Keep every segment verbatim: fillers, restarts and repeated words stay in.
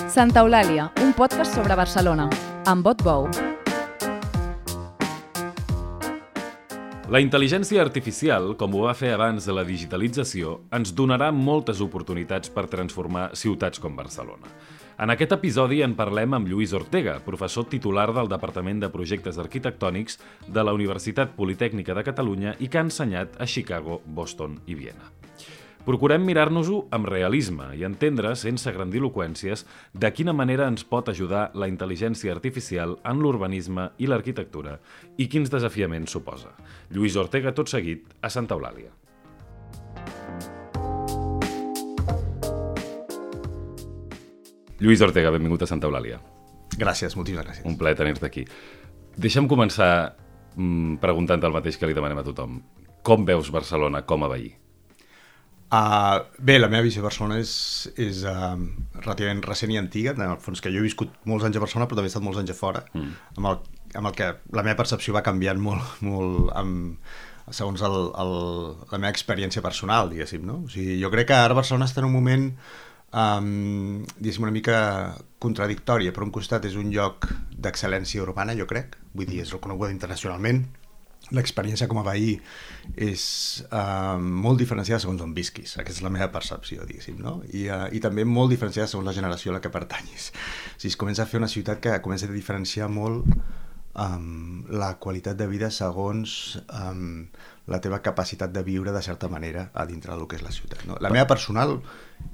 Santa Eulàlia, un podcast sobre Barcelona, amb Bot Bou. La intel·ligència artificial, com ho va fer abans de la digitalització, ens donarà moltes oportunitats per transformar ciutats com Barcelona. En aquest episodi en parlem amb Lluís Ortega, professor titular del Departament de Projectes Arquitectònics de la Universitat Politècnica de Catalunya i que ha ensenyat a Chicago, Boston i Viena. Procurem mirar-nos-ho amb realisme i entendre, sense grandiloqüències, de quina manera ens pot ajudar la intel·ligència artificial en l'urbanisme i l'arquitectura i quins desafiaments suposa. Lluís Ortega, tot seguit, a Santa Eulàlia. Lluís Ortega, benvingut a Santa Eulàlia. Gràcies, moltíssimes gràcies. Un plaer tenir-te aquí. Deixa'm començar mmm, preguntant el mateix que li demanem a tothom. Com veus Barcelona com a veí? Uh, bé, la meva visió de Barcelona és, és uh, relativament recent i antiga, en el fons que jo he viscut molts anys a Barcelona però també he estat molts anys a fora, mm. amb, el, amb el que la meva percepció va canviant molt, molt amb, segons el, el, la meva experiència personal, diguéssim, no? O sigui, jo crec que ara Barcelona està en un moment um, diguéssim una mica contradictòria. Per un costat és un lloc d'excel·lència urbana, jo crec, vull dir, és reconeguda internacionalment. L'experiència com a veí és uh, molt diferenciada segons on visquis. Aquesta és la meva percepció, diguéssim, no? I, uh, i també molt diferenciada segons la generació a la que pertanyis. O sigui, es comença a fer una ciutat que comença a diferenciar molt um, la qualitat de vida segons um, la teva capacitat de viure de certa manera a dintre del que és la ciutat, no? La meva personal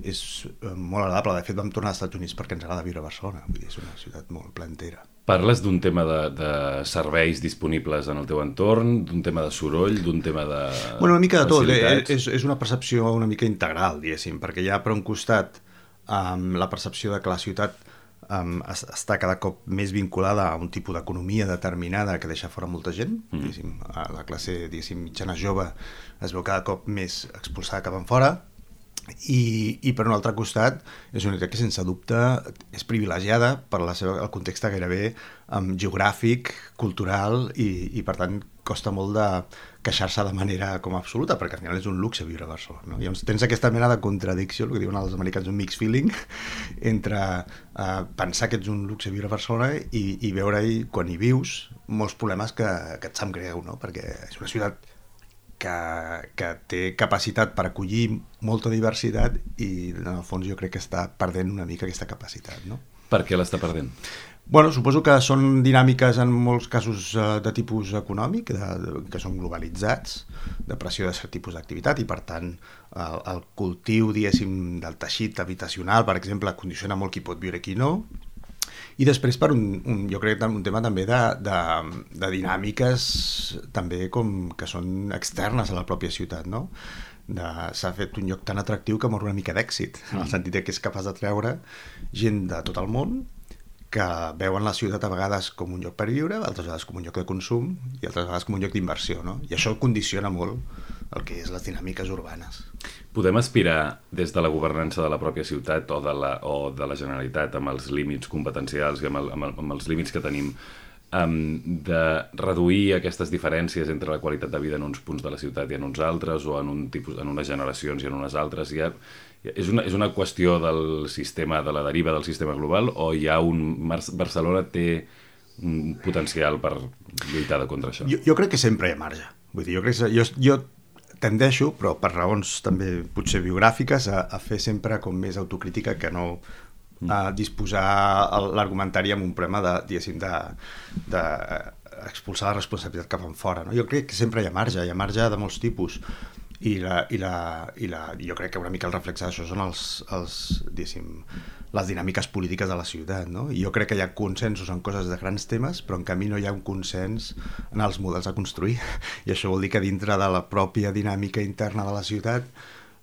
és uh, molt agradable. De fet, vam tornar als Estats Units perquè ens agrada viure a Barcelona. Vull dir, és una ciutat molt plantera. Parles d'un tema de, de serveis disponibles en el teu entorn, d'un tema de soroll, d'un tema de bueno, una mica de tot. facilitats? És, és una percepció una mica integral, diguéssim, perquè hi ha per un costat um, la percepció de que la ciutat um, es, està cada cop més vinculada a un tipus d'economia determinada que deixa fora molta gent. Mm. Diguéssim, la classe diguéssim, mitjana jove es veu cada cop més expulsada cap enfora. I, i per un altre costat és una ciutat que sense dubte és privilegiada per la seva, el context gairebé um, geogràfic, cultural i, i per tant costa molt de queixar-se de manera com absoluta perquè al final és un luxe viure a Barcelona, no? Llavors tens aquesta mena de contradicció, el que diuen els americans un mixed feeling entre uh, pensar que ets un luxe viure a Barcelona i, i veure-hi quan hi vius molts problemes que, que et sap greu, no? Perquè és una ciutat Que, que té capacitat per acollir molta diversitat i en el fons jo crec que està perdent una mica aquesta capacitat, no? Per què l'està perdent? Bueno, suposo que són dinàmiques en molts casos uh, de tipus econòmic, de, de, que són globalitzats, de pressió de cert tipus d'activitat i per tant el, el cultiu, diguéssim, del teixit habitacional, per exemple, condiciona molt qui pot viure i qui no. I després per un, un jo crec un tema també de, de, de dinàmiques també com que són externes a la pròpia ciutat, no? S'ha fet un lloc tan atractiu que mor una mica d'èxit, en el sentit que és capaç de treure gent de tot el món que veuen la ciutat a vegades com un lloc per viure, altres vegades com un lloc de consum i altres vegades com un lloc d'inversió, no? I això condiciona molt el que és les dinàmiques urbanes. Podem aspirar des de la governança de la pròpia ciutat o de la, o de la Generalitat amb els límits competencials i amb, el, amb, el, amb els límits que tenim um, de reduir aquestes diferències entre la qualitat de vida en uns punts de la ciutat i en uns altres o en, un tipus, en unes generacions i en unes altres? Hi ha, és, una, és una qüestió del sistema, de la deriva del sistema global o hi ha un... Barcelona té un potencial per lluitar contra això? Jo, jo crec que sempre hi ha marge. Vull dir, jo crec que jo, jo tendeixo, però per raons també potser biogràfiques, a, a fer sempre com més autocrítica que no a disposar l'argumentari amb un problema de, diguéssim, de, de expulsar la responsabilitat cap enfora, no? Jo crec que sempre hi ha marge, hi ha marge de molts tipus i, la, i, la, i la, jo crec que una mica el reflex d'això són els, els, diguéssim, les dinàmiques polítiques de la ciutat, no? I jo crec que hi ha consensos en coses de grans temes, però en canvi no hi ha un consens en els models a construir. I això vol dir que dintre de la pròpia dinàmica interna de la ciutat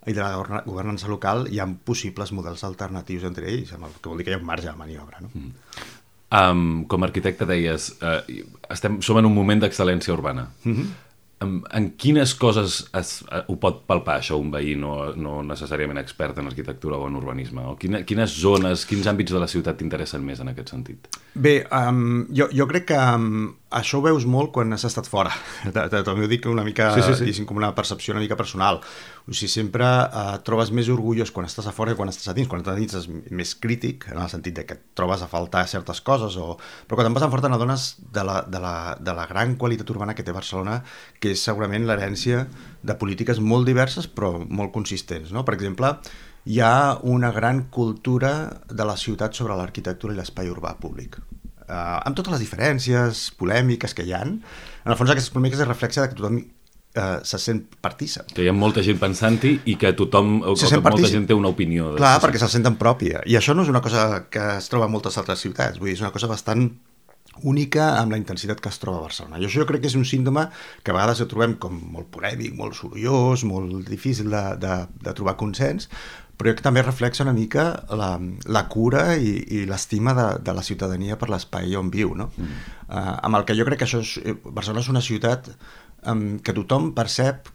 i de la governança local hi ha possibles models alternatius entre ells, el que vol dir que hi ha un marge de maniobra, no? Mm. Um, com a arquitecte deies, uh, estem, som en un moment d'excel·lència urbana. Mm-hmm. En quines coses es, ho pot palpar això un veí no, no necessàriament expert en arquitectura o en urbanisme? O quina, quines zones, quins àmbits de la ciutat t'interessen més en aquest sentit? Bé, um, jo, jo crec que um, això ho veus molt quan has estat fora. També ho dic una mica, sí, sí, sí. com una percepció una mica personal. O sigui, sempre eh, trobes més orgullós quan estàs a fora que quan estàs a dins. Quan estàs a dins és més crític, en el sentit de que et trobes a faltar certes coses, o... però quan te'n vas a fora t'adones de, la, de, la, de la gran qualitat urbana que té Barcelona, que és segurament l'herència de polítiques molt diverses però molt consistents, no? Per exemple, hi ha una gran cultura de la ciutat sobre l'arquitectura i l'espai urbà públic. Uh, amb totes les diferències polèmiques que hi ha, en el fons aquestes polèmiques es reflexa que tothom uh, se sent partícip. Que hi ha molta gent pensant-hi i que tothom, o que molta gent té una opinió. Clar, perquè se'l senten pròpia. I això no és una cosa que es troba a moltes altres ciutats, vull dir, és una cosa bastant única amb la intensitat que es troba a Barcelona. I això jo crec que és un símptoma que a vegades el trobem com molt polèmic, molt sorollós, molt difícil de, de, de trobar consens, però jo que també reflexa una mica la, la cura i, i l'estima de, de la ciutadania per l'espai on viu, no? Mm. Uh, amb el que jo crec que això és, Barcelona és una ciutat um, que tothom percep,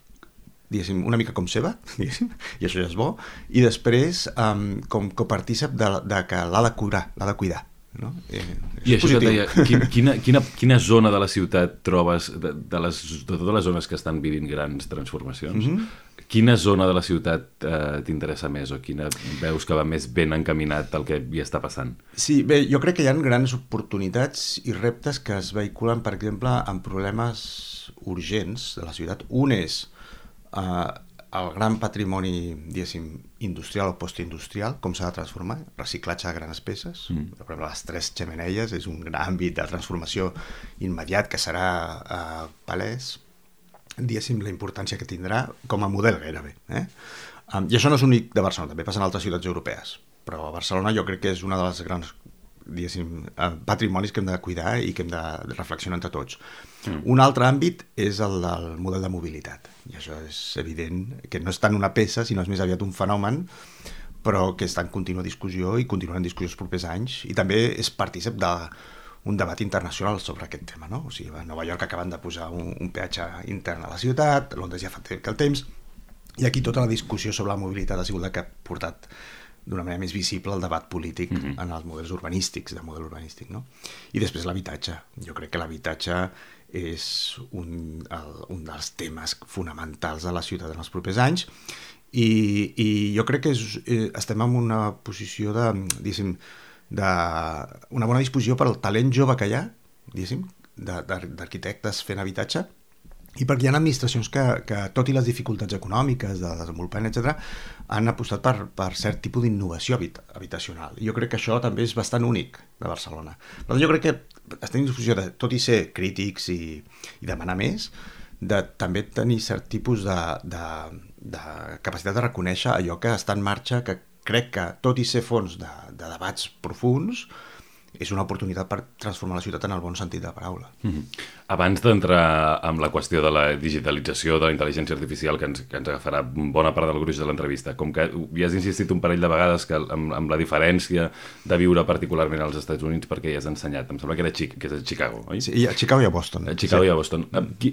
diguéssim, una mica com seva, diguéssim, i això ja és bo, i després um, com copartícip de, de que l'ha de curar, l'ha de cuidar. No? Eh, I això que deia, quina, quina, quina zona de la ciutat trobes, de, de, les, de totes les zones que estan vivint grans transformacions, mm-hmm. quina zona de la ciutat eh, t'interessa més o quina veus que va més ben encaminat al que hi està passant? Sí, bé, jo crec que hi ha grans oportunitats i reptes que es vehiculen, per exemple, amb problemes urgents de la ciutat. Un és eh, el gran patrimoni, diguéssim, industrial o postindustrial, com s'ha de transformar, reciclatge de grans peces. Mm. Per exemple, les tres xemeneies és un gran àmbit de transformació immediat que serà eh, palès, diguéssim, la importància que tindrà com a model gairebé. Eh? Um, I això no és únic de Barcelona, també passa en altres ciutats europees, però a Barcelona jo crec que és una de les grans, diguéssim, patrimonis que hem de cuidar i que hem de reflexionar entre tots. Mm. Un altre àmbit és el del model de mobilitat, i això és evident que no és tant una peça, sinó és més aviat un fenomen, però que està en contínua discussió i continuarà en discussió els propers anys, i també és partícip d'un debat internacional sobre aquest tema, no? O sigui, a Nova York acaben de posar un, un peatge intern a la ciutat, Londres ja fa que el temps, i aquí tota la discussió sobre la mobilitat ha sigut la que ha portat d'una manera més visible el debat polític mm-hmm. en els models urbanístics, de model urbanístic, no? I després l'habitatge. Jo crec que l'habitatge és un, el, un dels temes fonamentals de la ciutat en els propers anys i, i jo crec que és, eh, estem en una posició de, diguéssim, de, una bona disposició per al talent jove que hi ha, diguéssim, d'arquitectes fent habitatge, i perquè hi ha administracions que, que tot i les dificultats econòmiques de desenvolupament, etcètera, han apostat per, per cert tipus d'innovació habit, habitacional. I jo crec que això també és bastant únic de Barcelona. Però jo crec que estem en disposició de, tot i ser crítics i, i demanar més, de també tenir cert tipus de, de, de capacitat de reconèixer allò que està en marxa, que crec que, tot i ser fons de, de debats profuns, és una oportunitat per transformar la ciutat en el bon sentit de la paraula. Mm-hmm. Abans d'entrar amb la qüestió de la digitalització, de la intel·ligència artificial, que ens, que ens agafarà bona part del gruix de l'entrevista, com que hi has insistit un parell de vegades que amb, amb la diferència de viure particularment als Estats Units, perquè hi has ensenyat, em sembla que era Chic, que és a Chicago, oi? Sí, a Chicago i a Boston. A Chicago sí. i a Boston. Qui,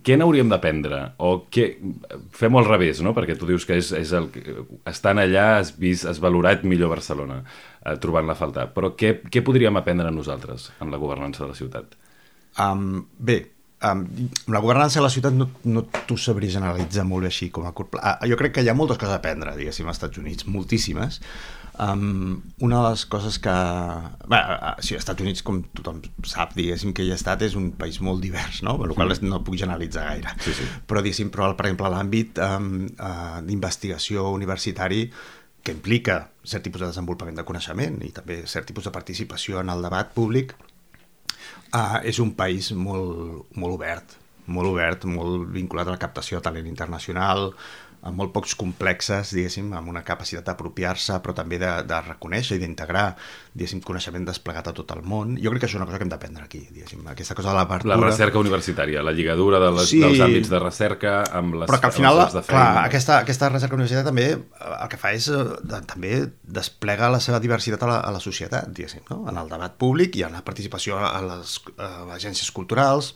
què n'hauríem d'aprendre? O què... Fem-ho al revés, no? Perquè tu dius que és, és el... estant allà has vist, has valorat millor Barcelona, eh, trobant-la a faltar. Però què, què podríem aprendre nosaltres en la governança de la ciutat? Um, bé, um, la governança de la ciutat no, no t'ho sabria generalitzar molt així com a curt pla. Uh, jo crec que hi ha moltes coses a aprendre, diguéssim, als Estats Units, moltíssimes. Um, una de les coses que... Bé, uh, sí, als Estats Units, com tothom sap, diguéssim, que hi ha estat, és un país molt divers, no? Per la qual no puc generalitzar gaire. Sí, sí. Però, diguéssim, però, per exemple, l'àmbit um, uh, d'investigació universitari, que implica cert tipus de desenvolupament de coneixement i també cert tipus de participació en el debat públic, Uh, és un país molt, molt obert, molt obert, molt vinculat a la captació de talent internacional, amb molt pocs complexes, diguéssim, amb una capacitat d'apropiar-se, però també de, de reconèixer i d'integrar, diguéssim, coneixement desplegat a tot el món. Jo crec que això és una cosa que hem d'aprendre aquí, diguéssim, aquesta cosa de l'apertura... La recerca universitària, la lligadura de les, sí, dels àmbits de recerca amb les... Però que al final, de feina. Clar, aquesta, aquesta recerca universitària també el que fa és de, també desplega la seva diversitat a la, a la societat, diguéssim, no? En el debat públic i en la participació a les a agències culturals,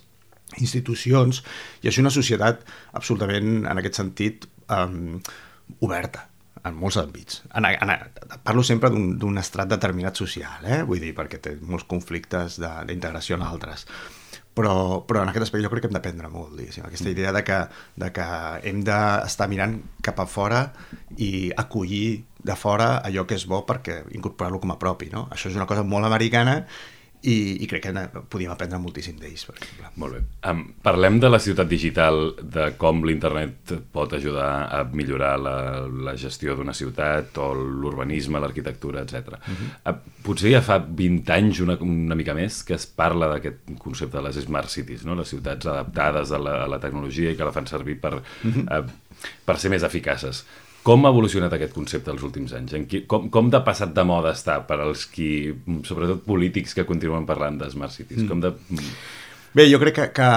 institucions, i és una societat absolutament, en aquest sentit, um, oberta en molts àmbits. En, en, parlo sempre d'un estrat determinat social, eh? Vull dir, perquè té molts conflictes d'integració en altres. però, però en aquest aspecte jo crec que hem d'aprendre molt, diguéssim. Aquesta idea de que, de que hem d'estar mirant cap a fora i acollir de fora allò que és bo perquè incorporar-lo com a propi, no? Això és una cosa molt americana i, i crec que podíem aprendre moltíssim d'ells, per exemple. Molt bé. Um, parlem de la ciutat digital, de com l'internet pot ajudar a millorar la, la gestió d'una ciutat o l'urbanisme, l'arquitectura, etcètera. Uh-huh. Uh, potser ja fa vint anys, una, una mica més, que es parla d'aquest concepte de les smart cities, no? Les ciutats adaptades a la, a la tecnologia i que la fan servir per, uh-huh. uh, per ser més eficaces. Com ha evolucionat aquest concepte els últims anys? En qui, com, com de passat de moda està per als qui, sobretot polítics, que continuen parlant de Smart Cities? Mm. Com de... Bé, jo crec que, que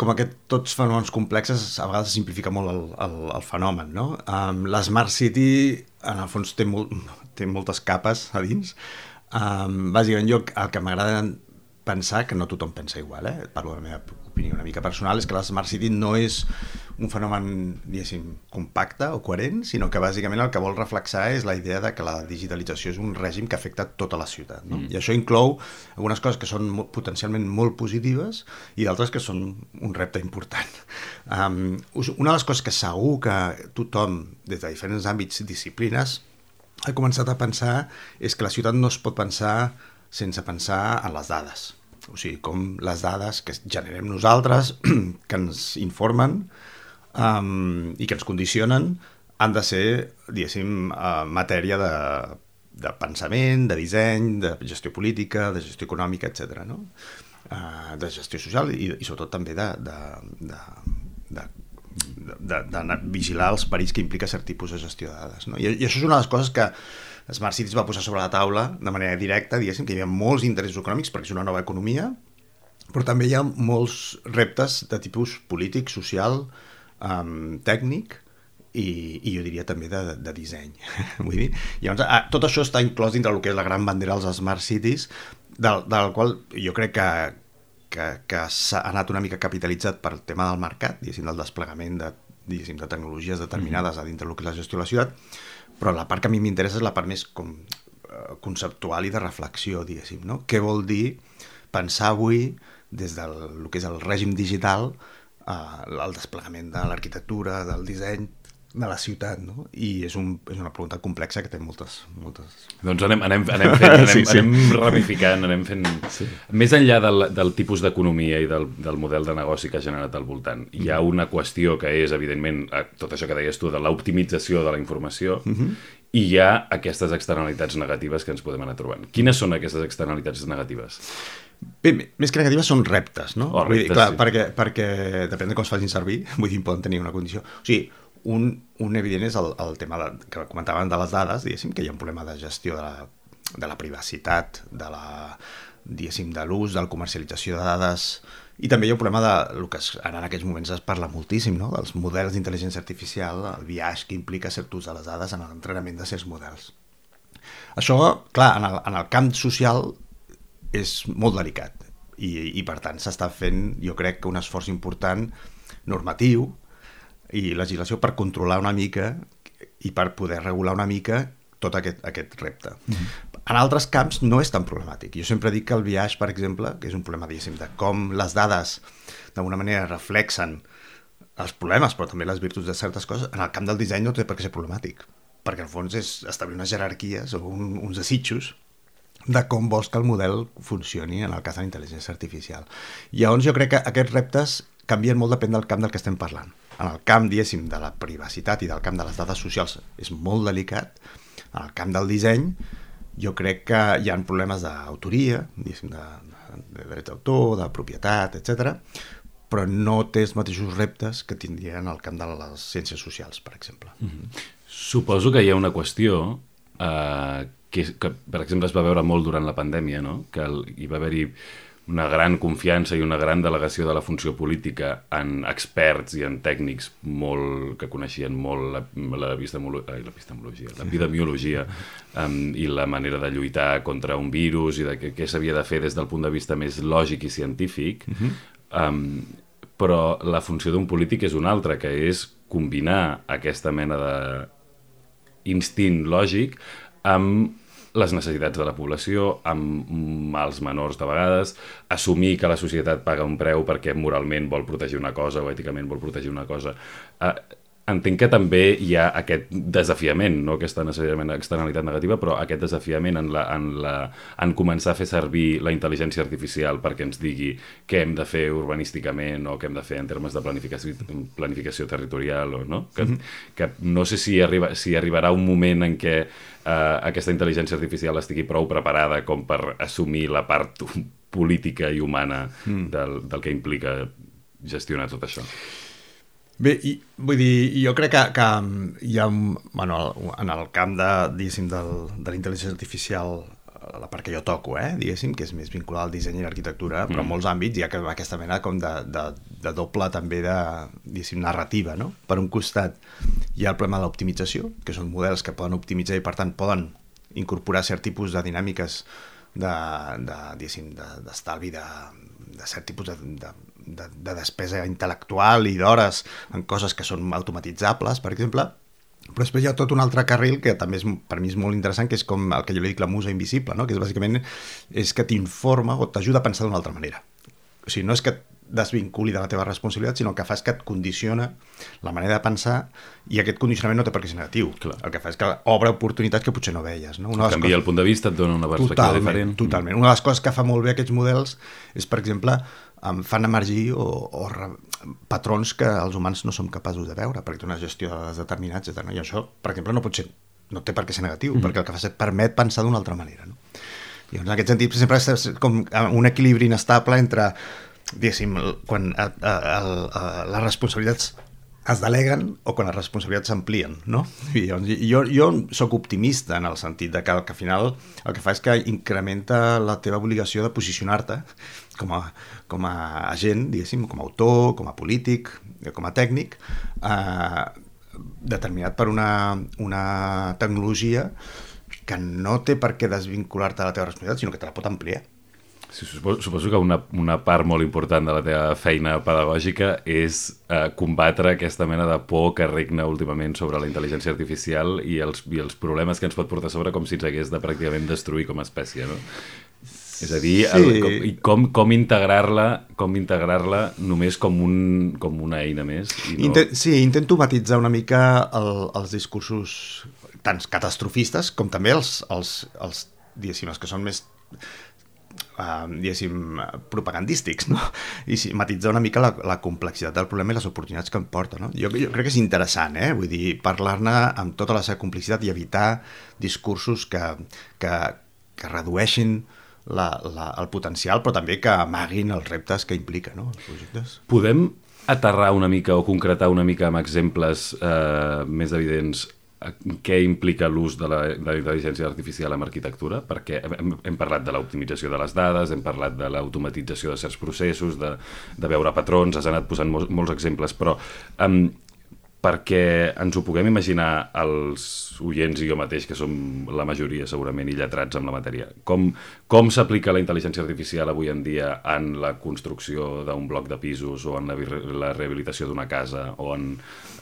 com aquest tots fenòmens complexes, a vegades simplifica molt el, el, el fenomen, no? Um, la Smart City, en el fons, té, molt, té moltes capes a dins. Um, bàsicament, jo el que m'agrada pensar, que no tothom pensa igual, eh? Parlo de la meva opinió una mica personal, és que la Smart City no és un fenomen, diguéssim, compacte o coherent, sinó que bàsicament el que vol reflexar és la idea de que la digitalització és un règim que afecta tota la ciutat, no? Mm. I això inclou algunes coses que són potencialment molt positives i d'altres que són un repte important. Um, una de les coses que segur que tothom, des de diferents àmbits i disciplines, ha començat a pensar és que la ciutat no es pot pensar sense pensar en les dades. O sigui, com les dades que generem nosaltres, que ens informen um, i que ens condicionen, han de ser, diguéssim, uh, matèria de, de pensament, de disseny, de gestió política, de gestió econòmica, etcètera, no? Uh, de gestió social i, i sobretot també de, de, de, de, de, de, de vigilar els perills que implica cert tipus de gestió de dades, no? I, i això és una de les coses que Smart Cities va posar sobre la taula de manera directa, diguéssim, que hi havia molts interessos econòmics perquè és una nova economia, però també hi ha molts reptes de tipus polític, social, um, tècnic i, i jo diria també de, de disseny. Vull dir, llavors, ah, tot això està inclòs dintre del que és la gran bandera dels Smart Cities, del, del qual jo crec que, que, que s'ha anat una mica capitalitzat per el tema del mercat, diguéssim, del desplegament de, diguéssim, de tecnologies determinades mm-hmm. a dintre del que és la gestió de la ciutat, però la part que a mi m'interessa és la part més com, uh, conceptual i de reflexió, diguéssim, no? Què vol dir pensar avui des del que és el règim digital, uh, el desplegament de l'arquitectura, del disseny de la ciutat, no? I és, un, és una pregunta complexa que té moltes... moltes... Doncs anem, anem, anem fent, anem, sí, sí. anem ramificant, anem fent... Sí. Més enllà del, del tipus d'economia i del, del model de negoci que ha generat al voltant, hi ha una qüestió que és, evidentment, tot això que deies tu, de l'optimització de la informació, uh-huh. i hi ha aquestes externalitats negatives que ens podem anar trobant. Quines són aquestes externalitats negatives? Bé, més que negatives són reptes, no? Oh, reptes, vull dir, clar, sí. perquè, perquè depèn de com es facin servir, vull dir, poden tenir una condició... O sigui, un, un evident és el, el tema de, que comentàvem de les dades, diguéssim, que hi ha un problema de gestió de la, de la privacitat, de la, diguéssim, de l'ús, de la comercialització de dades, i també hi ha un problema de, el que ara en aquests moments es parla moltíssim, no? Dels models d'intel·ligència artificial, el biaix que implica cert ús de les dades en l'entrenament de certs models. Això, clar, en el, en el camp social és molt delicat, i, i per tant s'està fent, jo crec, un esforç important normatiu i legislació per controlar una mica i per poder regular una mica tot aquest, aquest repte. Mm-hmm. En altres camps no és tan problemàtic. Jo sempre dic que el biaix, per exemple, que és un problema, diguéssim, de com les dades d'alguna manera reflexen els problemes, però també les virtuts de certes coses, en el camp del disseny no té per què ser problemàtic, perquè en fons és establir unes jerarquies o un, uns desitjos de com vols que el model funcioni en el cas de la intel·ligència artificial. I llavors jo crec que aquests reptes canvien molt depèn del camp del que estem parlant. En el camp, diguéssim, de la privacitat i del camp de les dades socials és molt delicat. En el camp del disseny jo crec que hi ha problemes d'autoria, diguéssim, de, de, de drets d'autor, de propietat, etcètera, però no té els mateixos reptes que tindria en el camp de les ciències socials, per exemple. Mm-hmm. Suposo que hi ha una qüestió eh, que, que, per exemple, es va veure molt durant la pandèmia, no? Que el, hi va haver-hi una gran confiança i una gran delegació de la funció política en experts i en tècnics molt, que coneixien molt l'epistemologia, l'epidemiologia um, i la manera de lluitar contra un virus i de què, què s'havia de fer des del punt de vista més lògic i científic, uh-huh. um, però la funció d'un polític és una altra, que és combinar aquesta mena d'instint lògic amb les necessitats de la població, amb mals menors de vegades, assumir que la societat paga un preu perquè moralment vol protegir una cosa o èticament vol protegir una cosa. Eh, entenc que també hi ha aquest desafiament, no aquesta necessàriament externalitat negativa, però aquest desafiament en, la, en, la, en començar a fer servir la intel·ligència artificial perquè ens digui què hem de fer urbanísticament o què hem de fer en termes de planificació, planificació territorial, o, no? Que, mm-hmm. que no sé si, arriba, si arribarà un moment en què eh, aquesta intel·ligència artificial estigui prou preparada com per assumir la part política i humana mm. del, del que implica gestionar tot això. Bé, i, vull dir, jo crec que, que hi ha, bueno, en el camp de, diguéssim, del, de la intel·ligència artificial, la part que jo toco, eh, diguéssim, que és més vinculada al disseny i l'arquitectura, però en molts àmbits hi ha aquesta mena com de, de, de doble també de, diguéssim, narrativa, no? Per un costat hi ha el problema de l'optimització, que són models que poden optimitzar i per tant poden incorporar cert tipus de dinàmiques de, de, diguéssim, de, d'estalvi de, de cert tipus de, de De, de despesa intel·lectual i d'hores en coses que són automatitzables, per exemple, però després hi ha tot un altre carril que també és, per mi és molt interessant, que és com el que jo li dic la musa invisible, no? Que és bàsicament és que t'informa o t'ajuda a pensar d'una altra manera. O sigui, no és que et desvinculi de la teva responsabilitat, sinó que fa és que et condiciona la manera de pensar, i aquest condicionament no té per què ser negatiu. Clar. El que fa és que obre oportunitats que potser no veies. No? Una Canvia coses... el punt de vista, et dona una perspectiva totalment, diferent. Totalment. Una de les coses que fa molt bé aquests models és, per exemple, em fan emergir o, o re, patrons que els humans no som capaços de veure, perquè té una gestió de dades determinats, etcètera. I això, per exemple, no pot ser, no té per què ser negatiu, mm. perquè el que fa és et permet pensar d'una altra manera. No? I en aquest sentit, sempre és com un equilibri inestable entre, diguéssim, quan a, a, a, a, les responsabilitats es deleguen o quan les responsabilitats s'amplien, no? I jo, jo soc optimista en el sentit de que, que al final el que fa és que incrementa la teva obligació de posicionar-te com a, com a agent, diguéssim, com a autor, com a polític, com a tècnic, eh, determinat per una, una tecnologia que no té per què desvincular-te de la teva responsabilitat, sinó que te la pot ampliar. Sí, suposo, suposo que una, una part molt important de la teva feina pedagògica és eh, combatre aquesta mena de por que regna últimament sobre la intel·ligència artificial i els, i els problemes que ens pot portar sobre com si ens hagués de pràcticament destruir com a espècie, no? És a dir, sí. el, com, i com, com integrar-la com integrar-la només com, un, com una eina més. I no... Intent, sí, intento matitzar una mica el, els discursos tant catastrofistes com també els, els, els, diguéssim, els que són més... Uh, diguéssim, propagandístics, no? I sí, matitzar una mica la, la complexitat del problema i les oportunitats que em porta, no? Jo, jo crec que és interessant, eh? Vull dir, parlar-ne amb tota la seva complexitat i evitar discursos que, que, que redueixin la, la, el potencial, però també que amaguin els reptes que implica, no? Els projectes. Podem aterrar una mica o concretar una mica amb exemples eh, més evidents què implica l'ús de la, de la intel·ligència artificial en arquitectura, perquè hem, hem parlat de l'optimització de les dades, hem parlat de l'automatització de certs processos, de, de veure patrons, has anat posant molts, molts exemples, però um, perquè ens ho puguem imaginar els oients i jo mateix, que som la majoria segurament i lletrats amb la matèria, com, com s'aplica la intel·ligència artificial avui en dia en la construcció d'un bloc de pisos o en la, la rehabilitació d'una casa o en,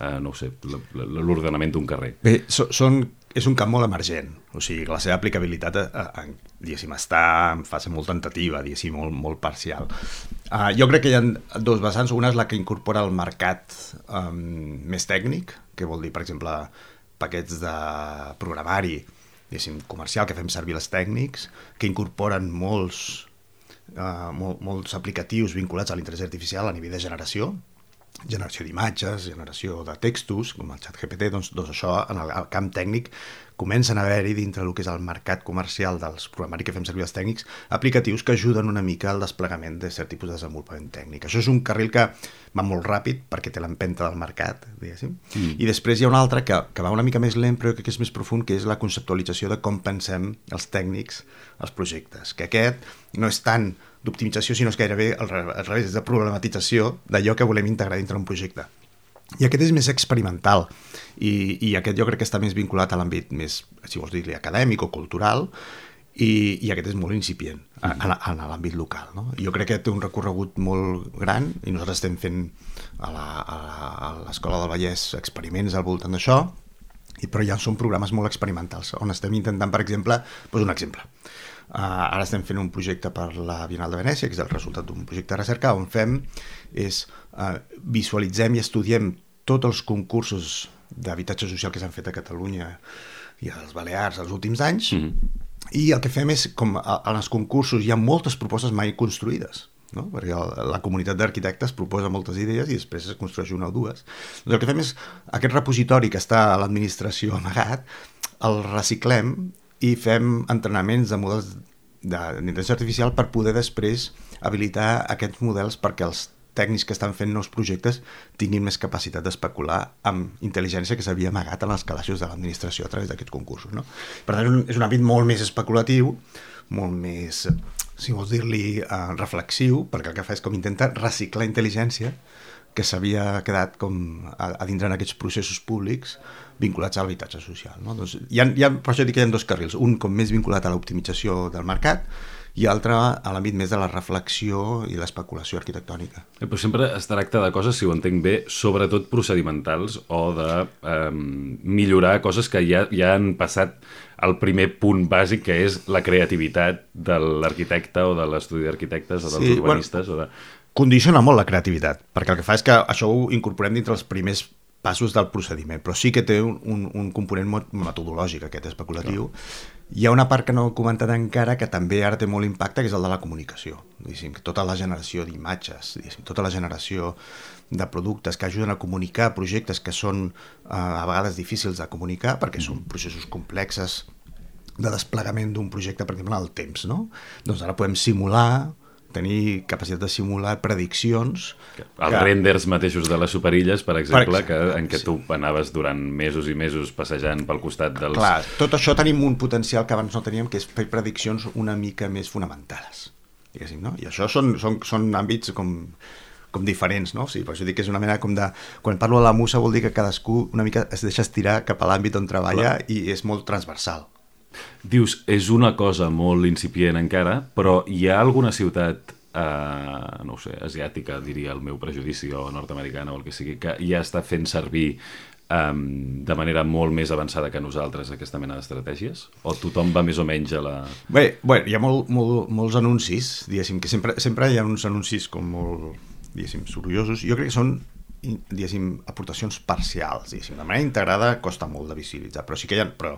eh, no ho sé, l'ordenament d'un carrer? Bé, so, són, és un camp molt emergent, o sigui, la seva aplicabilitat eh, eh, diguéssim, està en fase molt tentativa, diguéssim, molt, molt parcial. Uh, jo crec que hi ha dos vessants. Una és la que incorpora el mercat um, més tècnic, que vol dir, per exemple, paquets de programari, diguéssim, comercial, que fem servir els tècnics, que incorporen molts, uh, mol, molts aplicatius vinculats a l'intel·ligència artificial a nivell de generació, generació d'imatges, generació de textos, com el ChatGPT, doncs, doncs això, en el, el camp tècnic, comencen a haver-hi dintre del que és el mercat comercial dels programari que fem servir els tècnics, aplicatius que ajuden una mica al desplegament de cert tipus de desenvolupament tècnic. Això és un carril que va molt ràpid perquè té l'empenta del mercat, diguéssim. Mm. I després hi ha un altre que, que va una mica més lent, però que és més profund, que és la conceptualització de com pensem els tècnics els projectes. Que aquest no és tant d'optimització, sinó és gairebé al revés, és de problematització d'allò que volem integrar dintre un projecte. I aquest és més experimental i, i aquest jo crec que està més vinculat a l'àmbit més, si vols dir-li, acadèmic o cultural, i, i aquest és molt incipient a, a, a l'àmbit local, no? Jo crec que té un recorregut molt gran i nosaltres estem fent a l'Escola del Vallès experiments al voltant d'això I, però ja són programes molt experimentals, on estem intentant, per exemple, doncs un exemple. Uh, ara estem fent un projecte per la Bienal de Venècia, que és el resultat d'un projecte de recerca, on fem és uh, visualitzem i estudiem tots els concursos d'habitatge social que s'han fet a Catalunya i a les Balears els últims anys, mm-hmm. i el que fem és, com en els concursos hi ha moltes propostes mai construïdes, no? Perquè la comunitat d'arquitectes proposa moltes idees i després es construeix una o dues. Doncs el que fem és, aquest repositori que està a l'administració amagat, el reciclem i fem entrenaments de models d'intel·ligència artificial per poder després habilitar aquests models perquè els tècnics que estan fent nous projectes tinguin més capacitat d'especular amb intel·ligència que s'havia amagat en els calaixos de l'administració a través d'aquests concursos, no? Per tant, és un, és un àmbit molt més especulatiu, molt més, si vols dir-li, eh, reflexiu, perquè el que fa és com intenta reciclar intel·ligència que s'havia quedat com a, a dintre en aquests processos públics vinculats a l'habitatge social, no? Doncs hi ha, hi ha, per això dic que hi ha dos carrils, un com més vinculat a l'optimització del mercat i altre a l'àmbit més de la reflexió i l'especulació arquitectònica. Eh, però sempre es tracta de coses, si ho entenc bé, sobretot procedimentals o de eh, millorar coses que ja, ja han passat al primer punt bàsic, que és la creativitat de l'arquitecte o de l'estudi d'arquitectes o dels sí, urbanistes. Bueno, o de... Condiciona molt la creativitat, perquè el que fa és que això ho incorporem dintre els primers passos del procediment, però sí que té un, un, un component metodològic, aquest especulatiu. Clar. Hi ha una part que no he comentat encara que també ara té molt impacte, que és el de la comunicació. Diguéssim, tota la generació d'imatges, tota la generació de productes que ajuden a comunicar projectes que són eh, a vegades difícils de comunicar, perquè són processos complexes de desplegament d'un projecte, per exemple, en el temps, no? Doncs ara podem simular, tenir capacitat de simular prediccions. Els que... renders mateixos de les superilles, per exemple, per exemple que, en què sí. tu anaves durant mesos i mesos passejant pel costat dels... Clar, tot això tenim un potencial que abans no teníem, que és fer prediccions una mica més fonamentades, diguéssim, no? I això són, són, són àmbits com, com diferents, no? O sigui, per això dic que és una mena com de... Quan parlo de la musa vol dir que cadascú una mica es deixa estirar cap a l'àmbit on treballa. Clar. I és molt transversal. Dius, és una cosa molt incipient encara, però hi ha alguna ciutat, eh, no ho sé, asiàtica, diria el meu prejudici, o nord-americana o el que sigui, que ja està fent servir eh, de manera molt més avançada que nosaltres aquesta mena d'estratègies? O tothom va més o menys a la... Bé, bé hi ha molt, molt, molts anuncis, diguéssim, que sempre, sempre hi ha uns anuncis com molt, diguéssim, sorollosos. Jo crec que són, diguéssim, aportacions parcials, diguéssim. De manera integrada costa molt de visibilitzar, però sí que hi ha... Però,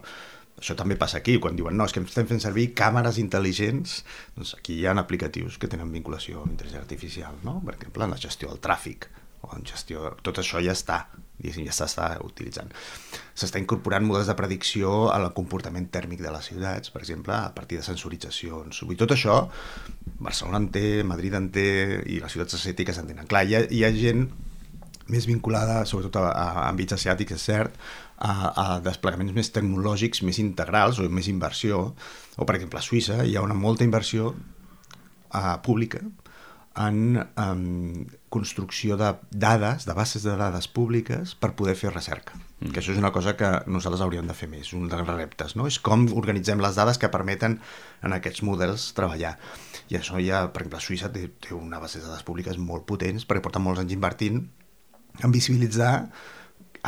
això també passa aquí, quan diuen no, és que estem fent servir càmeres intel·ligents, doncs aquí hi ha aplicatius que tenen vinculació amb intel·ligència artificial, no? Per exemple, en la gestió del tràfic, o en gestió... Tot això ja està, diguéssim, ja s'està utilitzant. S'està incorporant models de predicció al comportament tèrmic de les ciutats, per exemple, a partir de sensoritzacions. I tot això, Barcelona en té, Madrid en té, i les ciutats asiàtiques en tenen. Clar, hi ha, hi ha gent més vinculada, sobretot a, a àmbits asiàtics, és cert, a, a desplegaments més tecnològics, més integrals o més inversió. O, per exemple, a Suïssa hi ha una molta inversió uh, pública en um, construcció de dades, de bases de dades públiques per poder fer recerca. Mm. Que això és una cosa que nosaltres hauríem de fer més, un dels reptes, no? És com organitzem les dades que permeten en aquests models treballar. I això ja, per exemple, Suïssa té, té una base de dades públiques molt potents perquè porta molts anys invertint en visibilitzar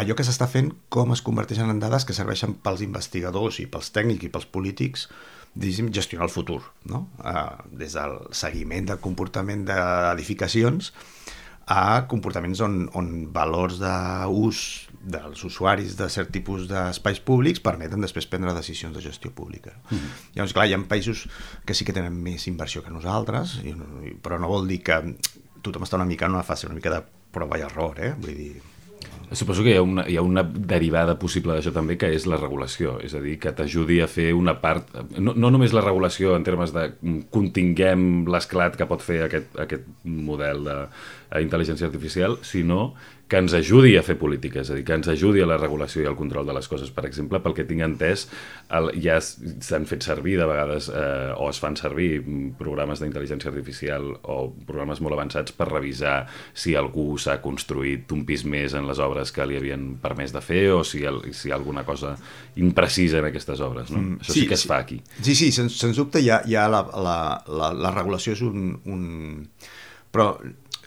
allò que s'està fent, com es converteixen en dades que serveixen pels investigadors i pels tècnics i pels polítics, diguéssim, gestionar el futur, no? Uh, des del seguiment del comportament d'edificacions a comportaments on, on valors d'ús dels usuaris de cert tipus d'espais públics permeten després prendre decisions de gestió pública. Mm-hmm. Llavors, clar, hi ha països que sí que tenen més inversió que nosaltres, i, però no vol dir que tothom està una mica en una fase una mica de prova i error, eh? Vull dir... Suposo que hi ha, una, hi ha una derivada possible d'això també, que és la regulació, és a dir, que t'ajudi a fer una part, no, no només la regulació en termes de continguem l'esclat que pot fer aquest, aquest model d'intel·ligència artificial, sinó que ens ajudi a fer política, és a dir, que ens ajudi a la regulació i al control de les coses. Per exemple, pel que tinc entès, el, ja s'han fet servir de vegades, eh, o es fan servir programes d'intel·ligència artificial o programes molt avançats per revisar si algú s'ha construït un pis més en les obres que li havien permès de fer, o si, el, si hi ha alguna cosa imprecisa en aquestes obres, no? Mm, Això sí, sí que es sí. fa aquí. Sí, sí, sens, sens dubte hi ha, hi ha la, la, la, la regulació és un... un... Però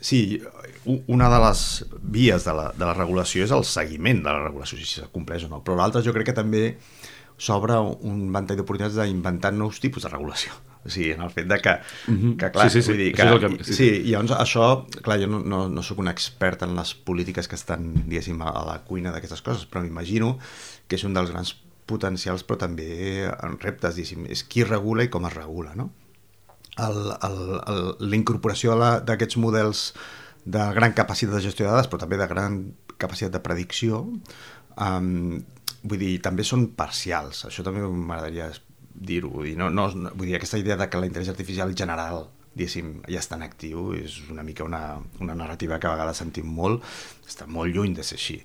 Sí, una de les vies de la, de la regulació és el seguiment de la regulació, si s'acompleix o no, però l'altre jo crec que també s'obre un ventall d'oportunitats d'inventar nous tipus de regulació. O sigui, en el fet de que, mm-hmm. que clar, sí, sí, sí. vull dir que... Això és el que... Sí, sí, i llavors això, clar, jo no, no, no sóc un expert en les polítiques que estan, diguéssim, a la cuina d'aquestes coses, però m'imagino que és un dels grans potencials, però també en reptes, diguéssim, és qui regula i com es regula, no? El, el, el, la incorporació d'aquests models de gran capacitat de gestió de dades, però també de gran capacitat de predicció, um, vull dir, també són parcials. Això també m'agradaria dir-ho. Vull dir, no, no, vull dir, aquesta idea de que la intel·ligència artificial general, diguéssim, ja està en actiu, és una mica una, una narrativa que a vegades sentim molt, està molt lluny de ser així.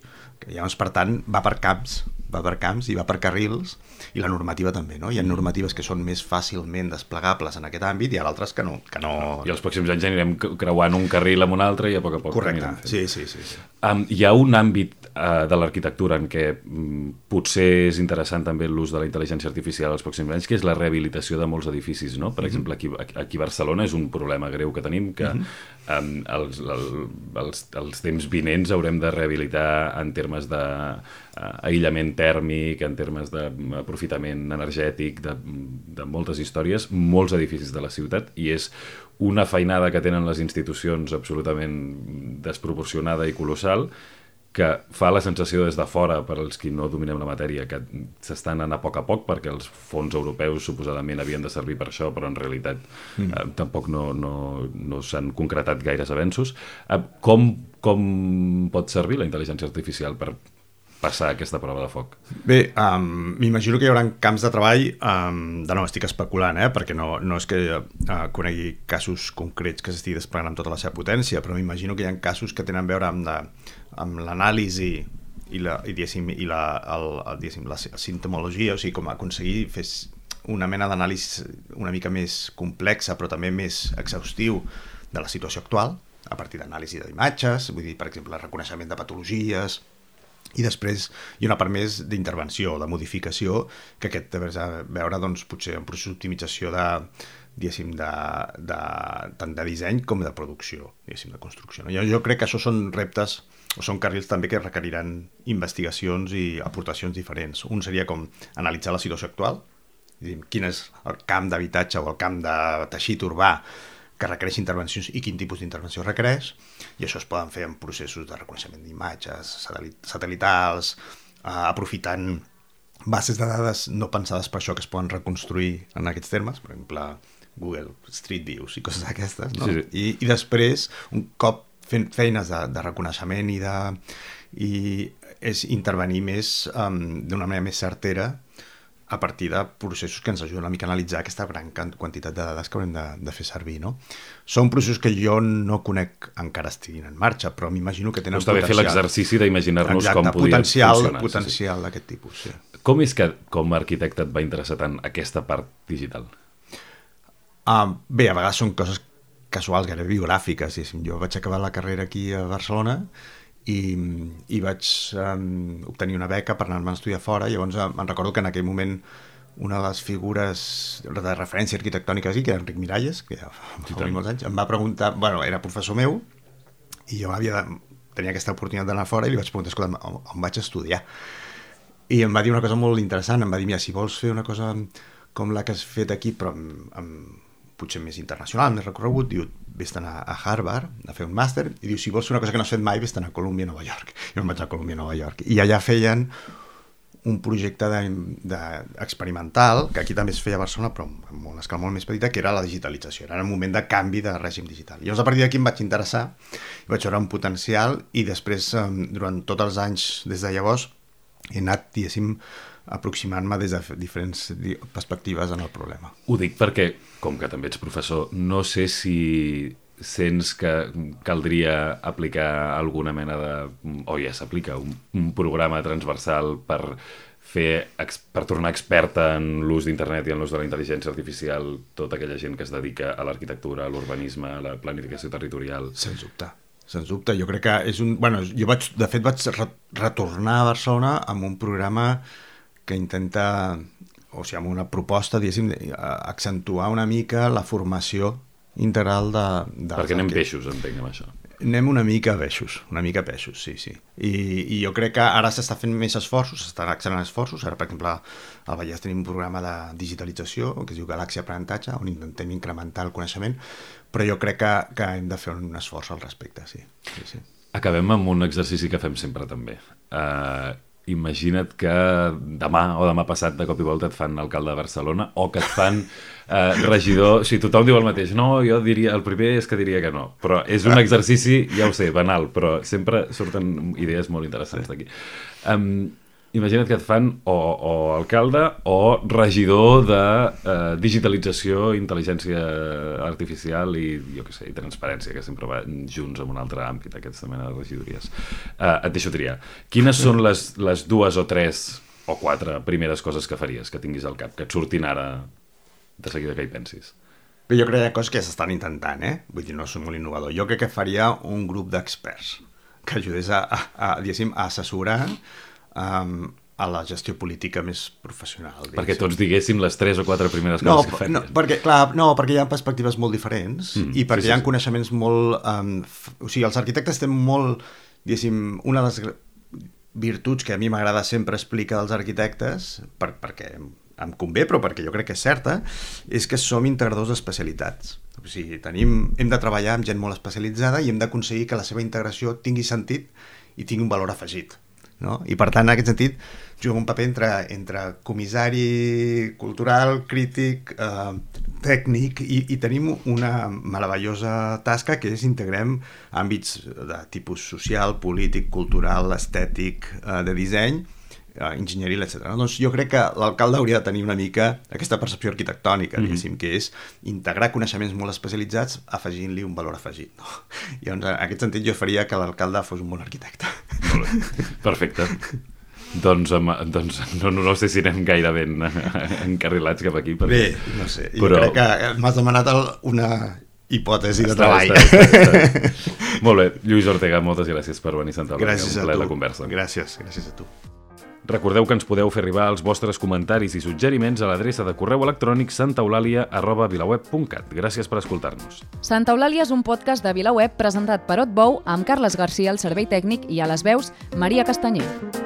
Llavors, per tant, va per camps, va per camps i va per carrils, i la normativa també, no? Hi ha normatives que són més fàcilment desplegables en aquest àmbit i hi ha altres que no. Que no... I els pròxims anys anirem creuant un carril amb un altre i a poc a poc... Correcte, sí, sí, sí. sí. Um, hi ha un àmbit uh, de l'arquitectura en què um, potser és interessant també l'ús de la intel·ligència artificial als pròxims anys, que és la rehabilitació de molts edificis, no? Per mm-hmm. exemple, aquí, aquí a Barcelona és un problema greu que tenim, que mm-hmm. um, els, el, els, els temps vinents haurem de rehabilitar en termes de uh, aïllament tèrmic, en termes d'aprofitament energètic, de, de moltes històries, molts edificis de la ciutat, i és una feinada que tenen les institucions absolutament desproporcionada i colossal, que fa la sensació des de fora, per als qui no dominem la matèria, que s'estan anant a poc a poc, perquè els fons europeus suposadament havien de servir per això, però en realitat mm. eh, tampoc no, no, no s'han concretat gaires avenços. Eh, com, com pot servir la intel·ligència artificial per passar aquesta prova de foc? Bé, um, m'imagino que hi haurà camps de treball, um, de nou estic especulant, eh, perquè no, no és que uh, conegui casos concrets que s'estigui desplegant amb tota la seva potència, però m'imagino que hi ha casos que tenen a veure amb, de, amb l'anàlisi i la, i, i la, el, el, la sintomologia, o sigui, com aconseguir fer una mena d'anàlisi una mica més complexa, però també més exhaustiu de la situació actual, a partir d'anàlisi d'imatges, vull dir, per exemple, el reconeixement de patologies, i després hi ha una part més d'intervenció, de modificació, que aquest té a veure doncs, potser un procés d'optimització de, diguéssim, de, de, tant de disseny com de producció, diguéssim, de construcció. No? Jo, jo crec que això són reptes, o són carrils també que requeriran investigacions i aportacions diferents. Un seria com analitzar la situació actual, diguéssim, quin és el camp d'habitatge o el camp de teixit urbà que requereix intervencions i quin tipus d'intervenció requereix, i això es poden fer en processos de reconeixement d'imatges satèl·litals, eh, aprofitant bases de dades no pensades per això que es poden reconstruir en aquests termes, per exemple Google Street Views i coses d'aquestes, no? Sí, sí. I, i després, un cop fent feines de, de reconeixement i de i és intervenir més um, d'una manera més certera a partir de processos que ens ajuden una mica a analitzar aquesta gran quantitat de dades que haurem de, de fer servir, no? Són processos que jo no conec encara estiguin en marxa, però m'imagino que tenen potencial. Està bé fer l'exercici d'imaginar-nos com podria potencial, funcionar. Potencial sí, sí. d'aquest tipus, sí. Com és que, com a arquitecte, et va interessar tant aquesta part digital? Uh, bé, a vegades són coses casuals, gairebé biogràfiques. Jo vaig acabar la carrera aquí a Barcelona i, i vaig um, obtenir una beca per anar-me a estudiar fora, i llavors me'n recordo que en aquell moment una de les figures de referència arquitectònica aquí, que era Enric Miralles, que ja fa molts anys, em va preguntar, bueno, era professor meu, i jo havia de, tenia aquesta oportunitat d'anar fora, i li vaig preguntar, escolta, on, on vaig estudiar? I em va dir una cosa molt interessant, em va dir, mira, si vols fer una cosa com la que has fet aquí, però amb, amb potser més internacional, més recorregut, diu, vés-te'n a Harvard a fer un màster, i diu, si vols fer una cosa que no has fet mai, vés-te'n a Colúmbia, Nova York. I em vaig a Colúmbia, Nova York. I allà feien un projecte de, de experimental, que aquí també es feia a Barcelona, però amb una escala molt més petita, que era la digitalització. Era un moment de canvi de règim digital. I llavors, a partir d'aquí em vaig interessar, i vaig veure un potencial, i després, durant tots els anys des de llavors, he anat, diguéssim, aproximant-me des de diferents perspectives en el problema. Ho dic perquè, com que també ets professor, no sé si sents que caldria aplicar alguna mena de, o ja s'aplica, un, un programa transversal per fer, per tornar experta en l'ús d'internet i en l'ús de la intel·ligència artificial tota aquella gent que es dedica a l'arquitectura, a l'urbanisme, a la planificació territorial. Sens dubte. Sens dubte, jo crec que és un... Bueno, jo vaig, de fet vaig retornar a Barcelona amb un programa que intenta, o sigui, amb una proposta, diguéssim, accentuar una mica la formació integral de... de Perquè anem peixos, entenc, amb això. Anem una mica a peixos, una mica a peixos, sí, sí. I, i jo crec que ara s'està fent més esforços, s'estan acceleranant esforços. Ara, per exemple, al Vallès tenim un programa de digitalització que es diu Galàxia Aprenentatge, on intentem incrementar el coneixement, però jo crec que, que hem de fer un esforç al respecte, sí. sí, sí. Acabem amb un exercici que fem sempre també. Uh, imagina't que demà o demà passat de cop i volta et fan alcalde de Barcelona o que et fan uh, regidor. O sigui, tothom diu el mateix. No, jo diria, el primer és que diria que no. Però és un exercici, ja ho sé, banal, però sempre surten idees molt interessants d'aquí. Um, Imagina't que et fan o, o alcalde o regidor de uh, digitalització, intel·ligència artificial i, jo què sé, i transparència, que sempre van junts en un altre àmbit, aquesta mena de regidories. Uh, et deixo triar. Quines són les, les dues o tres o quatre primeres coses que faries, que tinguis al cap, que et surtin ara de seguida que hi pensis? Bé, jo crec que hi ha coses que s'estan intentant, eh? Vull dir, no soc molt innovador. Jo crec que faria un grup d'experts que ajudés a, a, a, diguéssim, a assessorar Um, a la gestió política més professional. Diguéssim. Perquè tots diguéssim les tres o quatre primeres coses no, que faries. No, perquè, clar, no, perquè hi ha perspectives molt diferents mm, i perquè sí, sí, hi ha sí. coneixements molt... Um, f... O sigui, els arquitectes tenen molt, diguéssim, una de les virtuts que a mi m'agrada sempre explicar dels arquitectes, per, perquè em convé, però perquè jo crec que és certa, és que som integradors d'especialitats. O sigui, tenim, hem de treballar amb gent molt especialitzada i hem d'aconseguir que la seva integració tingui sentit i tingui un valor afegit. No? I per tant, en aquest sentit, juga un paper entre, entre comissari cultural, crític, eh, tècnic, i, i tenim una meravellosa tasca que és integrem àmbits de tipus social, polític, cultural, estètic, eh, de disseny, eh, enginyeria, etcètera. Doncs jo crec que l'alcalde hauria de tenir una mica aquesta percepció arquitectònica, mm-hmm. diguéssim, que és integrar coneixements molt especialitzats afegint-li un valor afegit. No? I doncs, en aquest sentit jo faria que l'alcalde fos un bon arquitecte. Perfecte. Doncs, doncs no, no sé si anem gaire ben encarrilats cap aquí. Perquè... Bé, no sé. Jo però... crec que m'has demanat una hipòtesi de està, treball. Està, està, està. Molt bé. Lluís Ortega, moltes gràcies per venir a sentar-me. Gràcies a tu. La conversa. Gràcies, gràcies a tu. Recordeu que ens podeu fer arribar els vostres comentaris i suggeriments a l'adreça de correu electrònic santaeulàlia arroba vilaweb punt cat. Gràcies per escoltar-nos. Santa Eulàlia és un podcast de VilaWeb presentat per Otbou amb Carles Garcia al servei tècnic i a les veus Maria Castanyer.